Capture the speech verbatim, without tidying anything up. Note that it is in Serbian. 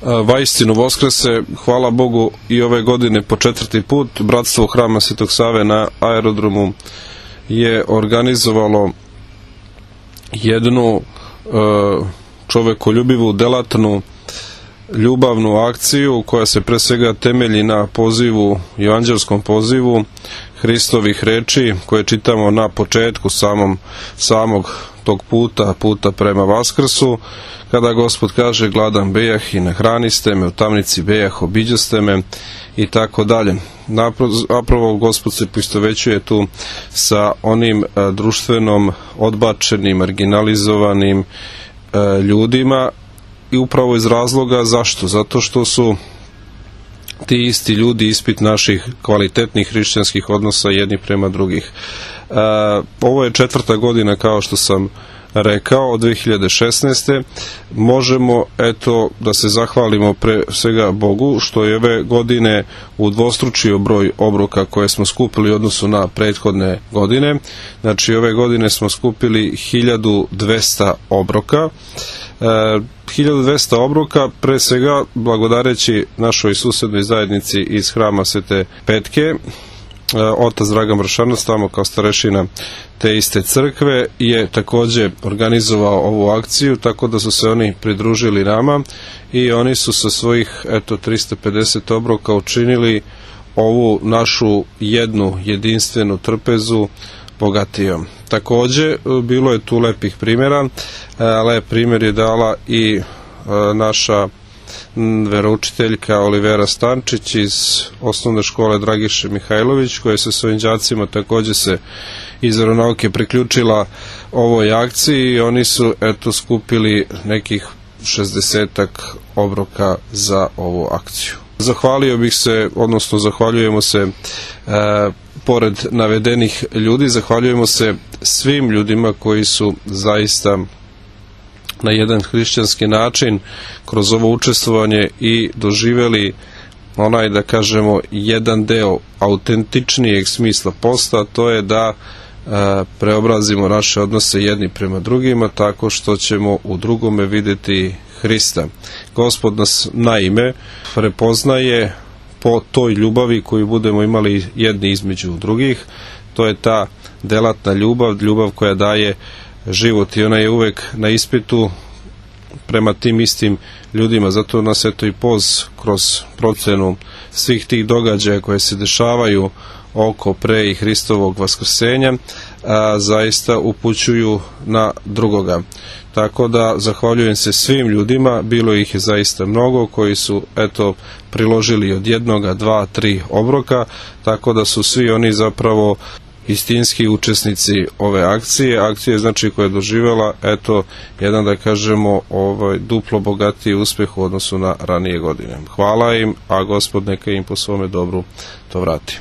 vaistinu Voskrese, hvala Bogu i ove godine po četvrti put. Bratstvo Hrama Svetog Save na aerodromu je organizovalo jednu čovekoljubivu, delatnu, ljubavnu akciju koja se pre svega temelji na pozivu, evanđelskom pozivu Hristovih reči koje čitamo na početku samom, samog tog puta, puta prema Vaskrsu, kada Gospod kaže gladan bejah i nahraniste me, u tamnici bejah obiđaste me i tako dalje. Napravo Gospod se poistovećuje tu sa onim a, društvenom, odbačenim, marginalizovanim a, ljudima i upravo iz razloga zašto? Zato što su ti isti ljudi ispit naših kvalitetnih hrišćanskih odnosa jedni prema drugih. E, ovo je četvrta godina, kao što sam rekao, od dve hiljade šesnaeste. Možemo, eto, da se zahvalimo pre svega Bogu što je ove godine udvostručio broj obroka koje smo skupili u odnosu na prethodne godine. Znači, ove godine smo skupili hiljadu dvesta obroka. E, hiljadu dvesta obroka, pre svega blagodareći našoj susednoj zajednici iz Hrama Svete Petke, e, otac Dragan Vršanac, tamo kao starešina te iste crkve, je takođe organizovao ovu akciju, tako da su se oni pridružili nama i oni su sa svojih eto trista pedeset obroka učinili ovu našu jednu jedinstvenu trpezu bogatijom. Takođe, bilo je tu lepih primjera. Lep primjer je dala i naša veroučiteljka Olivera Stančić iz osnovne škole Dragiše Mihajlović, koja je sa svojim đacima takođe se iz veronauke priključila ovoj akciji i oni su eto skupili nekih šezdesetak obroka za ovu akciju. Zahvalio bih se, odnosno zahvaljujemo se e, pored navedenih ljudi, zahvaljujemo se svim ljudima koji su zaista na jedan hrišćanski način kroz ovo učestvovanje i doživeli onaj, da kažemo, jedan deo autentičnijeg smisla posta, to je da e, preobrazimo naše odnose jedni prema drugima tako što ćemo u drugome videti Hrista. Gospod nas naime prepoznaje po toj ljubavi koju budemo imali jedni između drugih. To je ta delatna ljubav, ljubav koja daje život i ona je uvek na ispitu prema tim istim ljudima. Zato nas eto i poz kroz procenu svih tih događaja koje se dešavaju oko pre i Hristovog vaskrsenja a, zaista upućuju na drugoga. Tako da zahvaljujem se svim ljudima, bilo ih je zaista mnogo koji su eto priložili od jednoga, dva, tri obroka, tako da su svi oni zapravo istinski učesnici ove akcije. Akcije znači koja je doživjela eto jedan, da kažemo, ovaj duplo bogatiji uspeh u odnosu na ranije godine. Hvala im, a Gospod neka im po svome dobru to vrati.